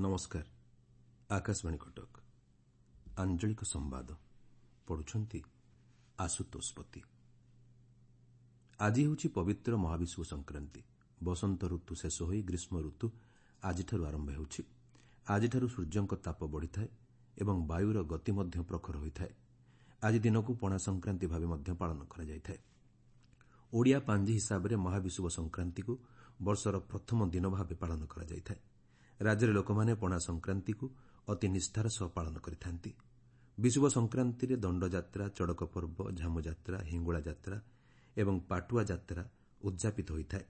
ନମସ୍କାର, ଆକାଶବାଣୀ କଟକ। ଆଞ୍ଚଳିକ ସମ୍ବାଦ ପଢୁଛନ୍ତି ଆଶୁତୋଷ ପତି। ଆଜି ହେଉଛି ପବିତ୍ର ମହାବିଷୁବ ସଂକ୍ରାନ୍ତି। ବସନ୍ତ ଋତୁ ଶେଷ ହୋଇ ଗ୍ରୀଷ୍ମ ଋତୁ ଆଜିଠାରୁ ଆରମ୍ଭ ହେଉଛି। ଆଜିଠାରୁ ସୂର୍ଯ୍ୟଙ୍କ ତାପ ବଢ଼ିଥାଏ ଏବଂ ବାୟୁର ଗତି ମଧ୍ୟ ପ୍ରଖର ହୋଇଥାଏ। ଆଜି ଦିନକୁ ପଣା ସଂକ୍ରାନ୍ତି ଭାବେ ମଧ୍ୟ ପାଳନ କରାଯାଇଥାଏ। ଓଡ଼ିଆ ପାଞ୍ଜି ହିସାବରେ ମହାବିଷୁବ ସଂକ୍ରାନ୍ତିକୁ ବର୍ଷର ପ୍ରଥମ ଦିନ ଭାବେ ପାଳନ କରାଯାଇଥାଏ। ରାଜ୍ୟରେ ଲୋକମାନେ ପଣା ସଂକ୍ରାନ୍ତିକୁ ଅତି ନିଷ୍ଠାର ସହ ପାଳନ କରିଥାନ୍ତି। ବିଷୁବ ସଂକ୍ରାନ୍ତିରେ ଦଣ୍ଡଯାତ୍ରା, ଚଡ଼କ ପର୍ବ, ଝାମୁଯାତ୍ରା, ହିଙ୍ଗୁଳା ଯାତ୍ରା ଏବଂ ପାଟୁଆ ଯାତ୍ରା ଉଦ୍ଯାପିତ ହୋଇଥାଏ।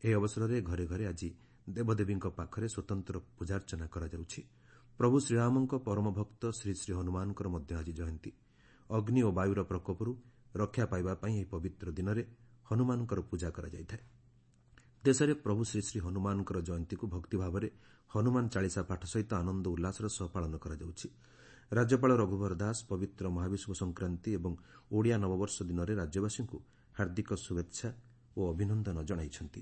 ଏହି ଅବସରରେ ଘରେ ଘରେ ଆଜି ଦେବଦେବୀଙ୍କ ପାଖରେ ସ୍ୱତନ୍ତ୍ର ପୂଜାର୍ଚ୍ଚନା କରାଯାଉଛି। ପ୍ରଭୁ ଶ୍ରୀରାମଙ୍କ ପରମ ଭକ୍ତ ଶ୍ରୀ ଶ୍ରୀ ହନୁମାନଙ୍କର ମଧ୍ୟ ଆଜି ଜୟନ୍ତୀ। ଅଗ୍ନି ଓ ବାୟୁର ପ୍ରକୋପରୁ ରକ୍ଷା ପାଇବା ପାଇଁ ଏହି ପବିତ୍ର ଦିନରେ ହନୁମାନଙ୍କର ପୂଜା କରାଯାଇଥାଏ। ଦେଶରେ ପ୍ରଭୁ ଶ୍ରୀ ଶ୍ରୀ ହନୁମାନଙ୍କର ଜୟନ୍ତୀକୁ ଭକ୍ତିଭାବରେ ହନୁମାନ ଚାଳିଶା ପାଠ ସହିତ ଆନନ୍ଦ ଉଲ୍ଲାସର ସହ ପାଳନ କରାଯାଉଛି। ରାଜ୍ୟପାଳ ରଘୁବର ଦାସ ପବିତ୍ର ମହାବିଷୁବ ସଂକ୍ରାନ୍ତି ଏବଂ ଓଡ଼ିଆ ନବବର୍ଷ ଦିନରେ ରାଜ୍ୟବାସୀଙ୍କୁ ହାର୍ଦ୍ଦିକ ଶୁଭେଚ୍ଛା ଓ ଅଭିନନ୍ଦନ ଜଣାଇଛନ୍ତି।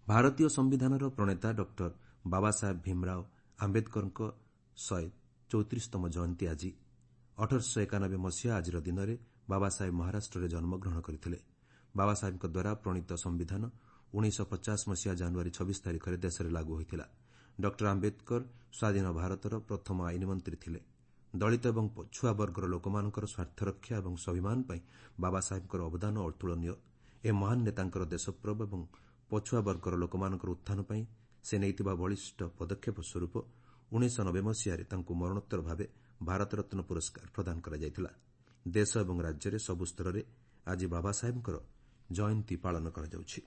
ଭାରତୀୟ ସମ୍ବିଧାନର ପ୍ରଣେତା ଡକ୍ଟର ବାବାସାହେବ ଭୀମରାଓ ଆମ୍ବେଦକରଙ୍କ 134ତମ ଜୟନ୍ତୀ ଆଜି। 1891 ମସିହା ଆଜିର ଦିନରେ ବାବାସାହେବ ମହାରାଷ୍ଟ୍ରରେ ଜନ୍ମଗ୍ରହଣ କରିଥିଲେ। ବାବାସାହେବଙ୍କ ଦ୍ୱାରା ପ୍ରଣୀତ ସମ୍ବିଧାନ 1950 ମସିହା ଜାନୁଆରୀ 26 ତାରିଖରେ ଦେଶରେ ଲାଗୁ ହୋଇଥିଲା। ଡକ୍ଟର ଆମ୍ବେଦକର ସ୍ୱାଧୀନ ଭାରତର ପ୍ରଥମ ଆଇନ ମନ୍ତ୍ରୀ ଥିଲେ। ଦଳିତ ଏବଂ ପଛୁଆ ବର୍ଗର ଲୋକମାନଙ୍କର ସ୍ୱାର୍ଥରକ୍ଷା ଏବଂ ସ୍ୱାଭିମାନ ପାଇଁ ବାବାସାହେବଙ୍କର ଅବଦାନ ଅତୁଳନୀୟ। ଏ ମହାନ ନେତାଙ୍କର ଦେଶପ୍ରେମ ଏବଂ ପଛୁଆ ବର୍ଗର ଲୋକମାନଙ୍କର ଉତ୍ଥାନ ପାଇଁ ସେ ନେଇଥିବା ବଳିଷ୍ଠ ପଦକ୍ଷେପ ସ୍ୱରୂପ 1990 ମସିହାରେ ତାଙ୍କୁ ମରଣୋତ୍ତର ଭାବେ ଭାରତରତ୍ନ ପୁରସ୍କାର ପ୍ରଦାନ କରାଯାଇଥିଲା। ଦେଶ ଏବଂ ରାଜ୍ୟରେ ସବୁ ସ୍ତରରେ ଆଜି ବାବାସାହେବଙ୍କର ଜୟନ୍ତୀ ପାଳନ କରାଯାଉଛି।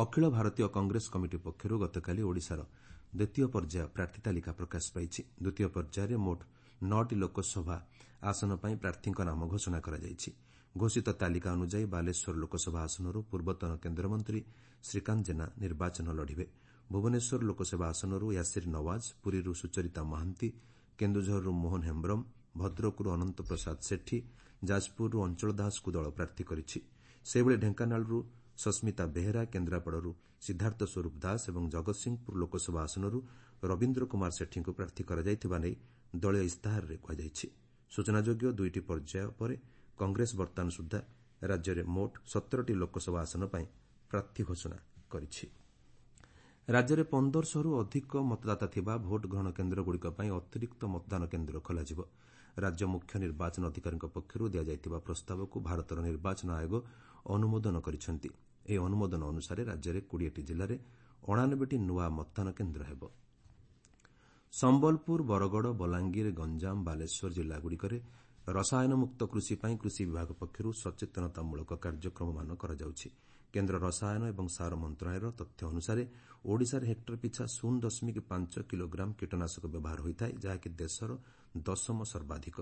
ଅଖିଳ ଭାରତୀୟ କଂଗ୍ରେସ କମିଟି ପକ୍ଷରୁ ଗତକାଲି ଓଡ଼ିଶାର ଦ୍ୱିତୀୟ ପର୍ଯ୍ୟାୟ ପ୍ରାର୍ଥୀ ତାଲିକା ପ୍ରକାଶ ପାଇଛି। ଦ୍ୱିତୀୟ ପର୍ଯ୍ୟାୟରେ ମୋଟ 9ଟି ଲୋକସଭା ଆସନ ପାଇଁ ପ୍ରାର୍ଥୀଙ୍କ ନାମ ଘୋଷଣା କରାଯାଇଛି। ଘୋଷିତ ତାଲିକା ଅନୁଯାୟୀ ବାଲେଶ୍ୱର ଲୋକସଭା ଆସନରୁ ପୂର୍ବତନ କେନ୍ଦ୍ରମନ୍ତ୍ରୀ ଶ୍ରୀକାନ୍ତ ଜେନା ନିର୍ବାଚନ ଲଢ଼ିବେ। ଭୁବନେଶ୍ୱର ଲୋକସଭା ଆସନରୁ ୟାସିର ନୱାଜ, ପୁରୀରୁ ସୁଚରିତା ମହାନ୍ତି, କେନ୍ଦୁଝରରୁ ମୋହନ ହେମ୍ବ୍ରମ, ଭଦ୍ରକରୁ ଅନନ୍ତ ପ୍ରସାଦ ସେଠୀ, ଯାଜପୁରରୁ ଅଞ୍ଚଳ ଦାସଙ୍କୁ ଦଳ ପ୍ରାର୍ଥୀ କରିଛି। ସେହିଭଳି ଢେଙ୍କାନାଳରୁ ସସ୍ମିତା ବେହେରା, କେନ୍ଦ୍ରାପଡ଼ାରୁ ସିଦ୍ଧାର୍ଥ ସ୍ୱରୂପ ଦାସ ଏବଂ ଜଗତସିଂହପୁର ଲୋକସଭା ଆସନରୁ ରବୀନ୍ଦ୍ର କୁମାର ସେଠୀଙ୍କୁ ପ୍ରାର୍ଥୀ କରାଯାଇଥିବା ନେଇ ଦଳୀୟ ଇସ୍ତାହାରରେ କୁହାଯାଇଛି। ସୂଚନାଯୋଗ୍ୟ, ଦୁଇଟି ପର୍ଯ୍ୟାୟ ପରେ କଂଗ୍ରେସ ବର୍ତ୍ତମାନ ସୁଦ୍ଧା ରାଜ୍ୟରେ ମୋଟ 17ଟି ଲୋକସଭା ଆସନ ପାଇଁ ପ୍ରାର୍ଥୀ ଘୋଷଣା କରିଛି। ରାଜ୍ୟରେ 1500ରୁ ଅଧିକ ମତଦାତା ଥିବା ଭୋଟ ଗ୍ରହଣ କେନ୍ଦ୍ରଗୁଡ଼ିକ ପାଇଁ ଅତିରିକ୍ତ ମତଦାନ କେନ୍ଦ୍ର ଖୋଲାଯିବ। ରାଜ୍ୟ ମୁଖ୍ୟ ନିର୍ବାଚନ ଅଧିକାରୀଙ୍କ ପକ୍ଷରୁ ଦିଆଯାଇଥିବା ପ୍ରସ୍ତାବକୁ ଭାରତର ନିର୍ବାଚନ ଆୟୋଗ ଅନୁମୋଦନ କରିଛନ୍ତି। ଏହି ଅନୁମୋଦନ ଅନୁସାରେ ରାଜ୍ୟରେ 20ଟି ଜିଲ୍ଲାରେ 89ଟି ନୂଆ ମତଦାନ କେନ୍ଦ୍ର ହେବ। ସମ୍ବଲପୁର, ବରଗଡ଼, ବଲାଙ୍ଗୀର, ଗଞ୍ଜାମ, ବାଲେଶ୍ୱର ଜିଲ୍ଲାଗୁଡ଼ିକରେ ରସାୟନମୁକ୍ତ କୃଷି ପାଇଁ କୃଷି ବିଭାଗ ପକ୍ଷରୁ ସଚେତନତାମୂଳକ କାର୍ଯ୍ୟକ୍ରମମାନ କରାଯାଉଛି। କେନ୍ଦ୍ର ରସାୟନ ଏବଂ ସାର ମନ୍ତ୍ରଣାଳୟର ତଥ୍ୟ ଅନୁସାରେ ଓଡ଼ିଶାରେ ହେକ୍ଟର ପିଛା 0.5 କିଲୋଗ୍ରାମ କୀଟନାଶକ ବ୍ୟବହାର ହୋଇଥାଏ, ଯାହାକି ଦେଶର ଦଶମ ସର୍ବାଧିକ।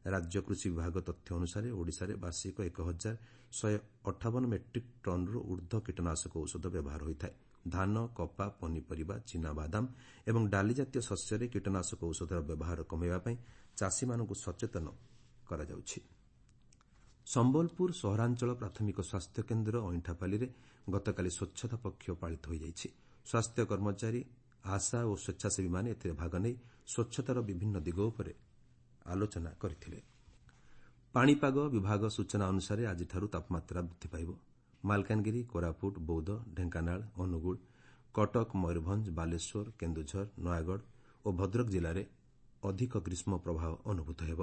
ରାଜ୍ୟ କୃଷି ବିଭାଗ ତଥ୍ୟ ଅନୁସାରେ ଓଡ଼ିଶାରେ ବାର୍ଷିକ 1158 ମେଟ୍ରିକ୍ ଟନ୍ରୁ ଊର୍ଦ୍ଧ୍ୱ କୀଟନାଶକ ଔଷଧ ବ୍ୟବହାର ହୋଇଥାଏ। ଧାନ, କପା, ପନିପରିବା, ଚିନାବାଦାମ ଏବଂ ଡାଲିଜାତୀୟ ଶସ୍ୟରେ କୀଟନାଶକ ଔଷଧର ବ୍ୟବହାର କମାଇବା ପାଇଁ ଚାଷୀମାନଙ୍କୁ ସଚେତନ କରାଯାଉଛି। ସମ୍ବଲପୁର ସହରାଞ୍ଚଳ ପ୍ରାଥମିକ ସ୍ୱାସ୍ଥ୍ୟକେନ୍ଦ୍ର ଅଇଁଠାପାଲିରେ ଗତକାଲି ସ୍ୱଚ୍ଛତା ପକ୍ଷ ପାଳିତ ହୋଇଯାଇଛି। ସ୍ୱାସ୍ଥ୍ୟ କର୍ମଚାରୀ, ଆଶା ଓ ସ୍ୱେଚ୍ଛାସେବୀମାନେ ଏଥିରେ ଭାଗ ନେଇ ସ୍ୱଚ୍ଛତାର ବିଭିନ୍ନ ଦିଗ ଉପରେ ଆଲୋଚନା କରିଥିଲେ। ପାଣିପାଗ ବିଭାଗ ସୂଚନା ଅନୁସାରେ ଆଜିଠାରୁ ତାପମାତ୍ରା ବୃଦ୍ଧି ପାଇବ। ମାଲକାନଗିରି, କୋରାପୁଟ, ବୌଦ୍ଧ, ଢେଙ୍କାନାଳ, ଅନୁଗୁଳ, କଟକ, ମୟୂରଭଞ୍ଜ, ବାଲେଶ୍ୱର, କେନ୍ଦୁଝର, ନୟାଗଡ଼ ଓ ଭଦ୍ରକ ଜିଲ୍ଲାରେ ଅଧିକ ଗ୍ରୀଷ୍ମ ପ୍ରବାହ ଅନୁଭୂତ ହେବ।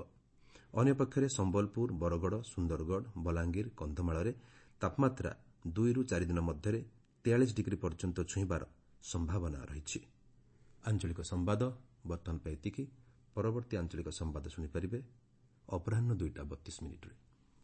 ଅନ୍ୟପକ୍ଷରେ ସମ୍ବଲପୁର, ବରଗଡ଼, ସୁନ୍ଦରଗଡ଼, ବଲାଙ୍ଗୀର, କନ୍ଧମାଳରେ ତାପମାତ୍ରା 2ରୁ 4 ଦିନ ମଧ୍ୟରେ 43 ଡିଗ୍ରୀ ପର୍ଯ୍ୟନ୍ତ ଛୁଇଁବାର ସମ୍ଭାବନା ରହିଛି। ଆଞ୍ଚଳିକ ସମ୍ବାଦ ବର୍ତ୍ତମାନ ପାଇଁ ଏତିକି। ପରବର୍ତ୍ତୀ ଆଞ୍ଚଳିକ ସମ୍ବାଦ ଶୁଣିପାରିବେ ଅପରାହ୍ନ 2ଟା 32 ମିନିଟ୍ରେ।